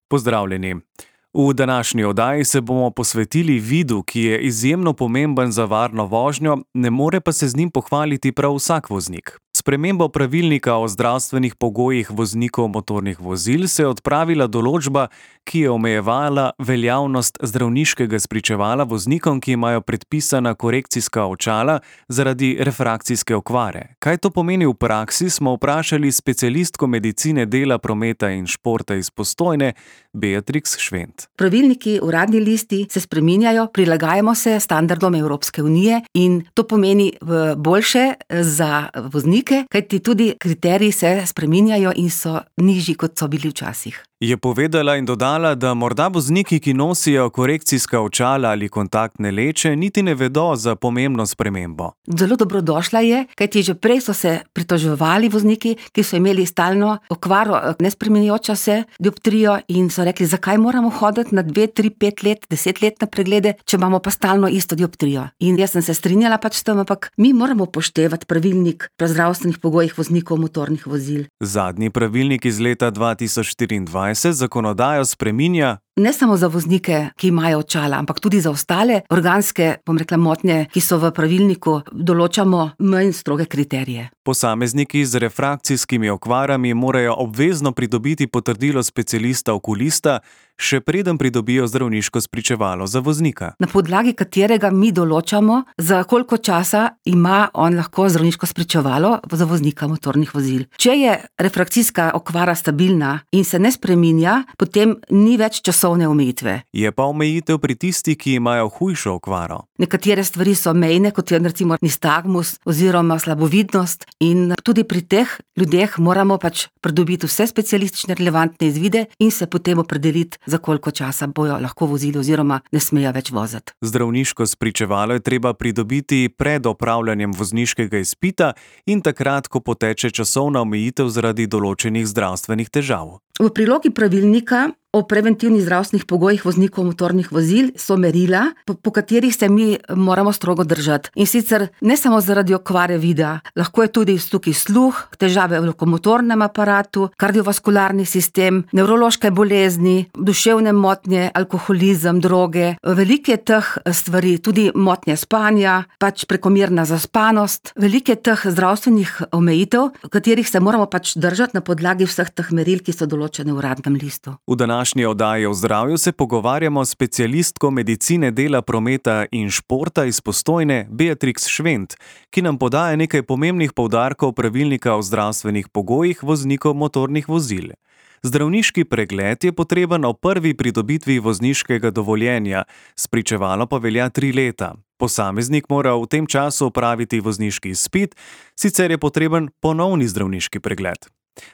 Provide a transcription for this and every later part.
Pozdravljeni. V današnji oddaji se bomo posvetili vidu, ki je izjemno pomemben za varno vožnjo, ne more pa se z njim pohvaliti prav vsak voznik. S spremembo pravilnika o zdravstvenih pogojih voznikov motornih vozil se je odpravila določba, ki je omejevala veljavnost zdravniškega spričevala voznikom, ki imajo predpisana korekcijska očala zaradi refrakcijske okvare. Kaj to pomeni v praksi, smo vprašali specialistko medicine dela, prometa in športa iz Postojne, Beatrix Švent. Pravilniki, uradni listi se spreminjajo, prilagajamo se standardom Evropske unije in to pomeni boljše za voznike, kajti tudi kriteriji se spreminjajo in so nižji, kot so bili včasih. Je povedala in dodala, da morda vozniki, ki nosijo korekcijska očala ali kontaktne leče, niti ne vedo za pomembno spremembo. Zelo dobrodošla je, kajti že prej so se pritoževali vozniki, ki so imeli stalno okvaro, nespreminjajočo se dioptrijo in so rekli, zakaj moramo hoditi na 2, 3, 5 let, 10 let na preglede, če imamo pa stalno isto dioptrijo. In jaz sem se strinjala s tem, ampak mi moramo upoštevati pravilnik o zdravstvenih pogojih voznikov motornih vozil. Zadnji pravilnik iz leta 2024 zakonodajo spreminja ne samo za voznike, ki imajo očala, ampak tudi za ostale organske, motnje, ki so v pravilniku, določamo manj stroge kriterije. Posamezniki z refrakcijskimi okvarami morajo obvezno pridobiti potrdilo specialista okulista, še preden pridobijo zdravniško spričevalo za voznika. Na podlagi katerega mi določamo, za koliko časa ima on lahko zdravniško spričevalo za voznika motornih vozil. Če je refrakcijska okvara stabilna in se ne spreminja, potem ni več časovne omejitve. Je pa omejitev pri tistih, ki imajo hujšo okvaro. Nekatere stvari so mejne, kot je recimo nistagmus oziroma slabovidnost, in tudi pri teh ljudeh moramo pridobiti vse specialistične relevantne izvide in se potem opredeliti, za koliko časa bojo lahko vozili oziroma ne smejo več voziti. Zdravniško spričevalo je treba pridobiti pred opravljanjem vozniškega izpita in takrat, ko poteče časovna omejitev zaradi določenih zdravstvenih težav. V prilogi pravilnika o preventivnih zdravstvenih pogojih voznikov motornih vozil so merila, po katerih se mi moramo strogo držati. In sicer ne samo zaradi okvare vida, lahko je tudi tukaj sluh, težave v lokomotornem aparatu, kardiovaskularni sistem, nevrološke bolezni, duševne motnje, alkoholizem, droge. Veliko je teh stvari, tudi motnje spanja, prekomerna zaspanost, veliko je teh zdravstvenih omejitev, katerih se moramo držati na podlagi vseh teh meril, ki so določene v uradnem listu. V današnji oddaji o zdravju se pogovarjamo s specialistko medicine dela, prometa in športa iz Postojne, Beatrix Švent, ki nam podaja nekaj pomembnih poudarkov pravilnika o zdravstvenih pogojih voznikov motornih vozil. Zdravniški pregled je potreben ob prvi pridobitvi vozniškega dovoljenja, spričevalo pa velja 3 leta. Posameznik mora v tem času opraviti vozniški izpit, sicer je potreben ponovni zdravniški pregled.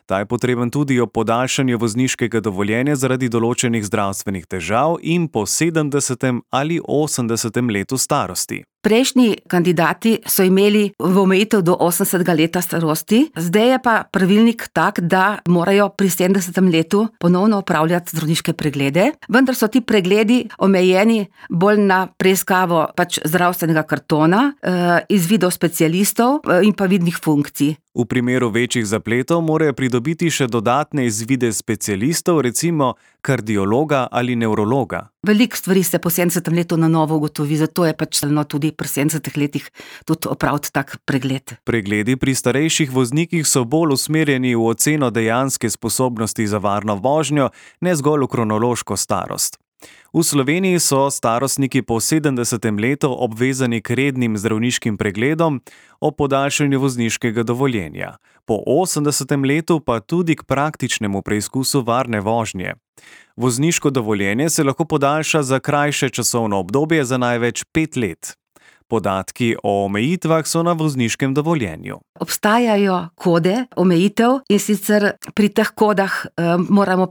Ta je potreben tudi ob podaljšanju vozniškega dovoljenja zaradi določenih zdravstvenih težav in po 70. ali 80. letu starosti. Prejšnji kandidati so imeli v omejitev do 80. leta starosti, zdaj je pa pravilnik tak, da morajo pri 70. letu ponovno opravljati zdravniške preglede, vendar so ti pregledi omejeni bolj na preiskavo zdravstvenega kartona, izvidov specialistov in pa vidnih funkcij. V primeru večjih zapletov morajo pridobiti še dodatne izvide specialistov, recimo kardiologa ali nevrologa. Veliko stvari se po 70. letu na novo ugotovi, zato je tudi pri 70 letih tudi opraviti tak pregled. Pregledi pri starejših voznikih so bolj usmerjeni v oceno dejanske sposobnosti za varno vožnjo, ne zgolj v kronološko starost. V Sloveniji so starostniki po 70. letu obvezani k rednim zdravniškim pregledom o podaljšanju vozniškega dovoljenja, po 80. letu pa tudi k praktičnemu preizkusu varne vožnje. Vozniško dovoljenje se lahko podaljša za krajše časovno obdobje za največ 5 let. Podatki o omejitvah so na vozniškem dovoljenju. Obstajajo kode omejitev in sicer pri teh kodah moramo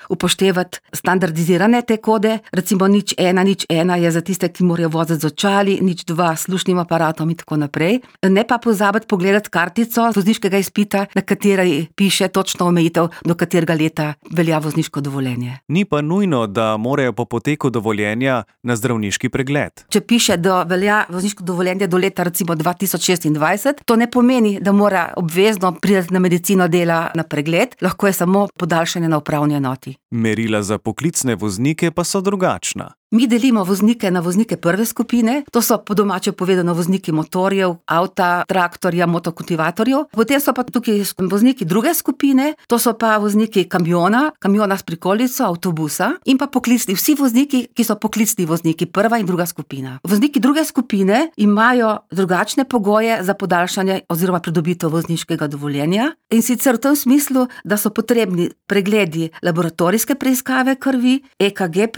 upoštevati standardizirane te kode, recimo 0101 je za tiste, ki morajo voziti z očali, 02 s slušnim aparatom in tako naprej. Ne pa pozabiti pogledati kartico vozniškega izpita, na kateri piše točno omejitev, do katerega leta velja vozniško dovoljenje. Ni pa nujno, da morajo po poteku dovoljenja na zdravniški pregled. Če piše, da velja vozniško vozniško dovoljenje do leta recimo 2026. To ne pomeni, da mora obvezno priti na medicino dela na pregled, lahko je samo podaljšanje na upravni enoti. Merila za poklicne voznike pa so drugačna. Mi delimo voznike na voznike prve skupine, to so po domače povedano vozniki motorjev, avta, traktorja, motokultivatorjev. Potem so pa tukaj vozniki druge skupine, to so pa vozniki kamiona s prikolico, avtobusa in pa poklicni, vsi vozniki, ki so poklicni vozniki, prva in druga skupina. Vozniki druge skupine imajo drugačne pogoje za podaljšanje oziroma pridobitev vozniškega dovoljenja, in sicer v tem smislu, da so potrebni pregledi laboratorijske preiskave krvi, EKG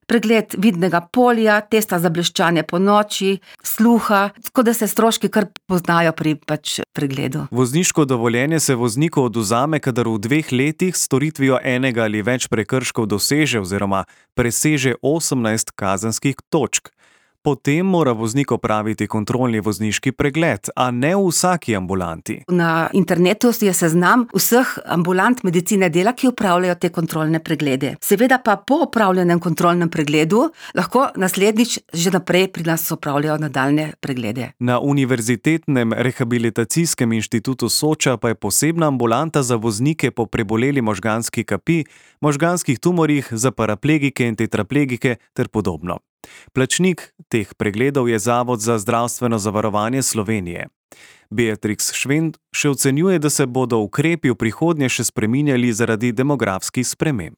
pregled vidnega polja, testa za bleščanje ponoči, sluha, tako da se stroški kar poznajo pri pregledu. Vozniško dovoljenje se vozniku odvzame, kadar v 2 letih s storitvijo enega ali več prekrškov doseže oziroma preseže 18 kazenskih točk. Potem mora voznik opraviti kontrolni vozniški pregled, a ne v vsaki ambulanti. Na internetu je seznam vseh ambulant medicine dela, ki opravljajo te kontrolne preglede. Seveda pa po opravljenem kontrolnem pregledu lahko naslednjič že naprej pri nas opravljajo nadaljne preglede. Na Univerzitetnem rehabilitacijskem inštitutu Soča pa je posebna ambulanta za voznike po preboleli možganski kapi, možganskih tumorjih, za paraplegike in tetraplegike ter podobno. Plačnik teh pregledov je Zavod za zdravstveno zavarovanje Slovenije. Beatrix Švend še ocenjuje, da se bodo ukrepi v prihodnje še spreminjali zaradi demografskih sprememb.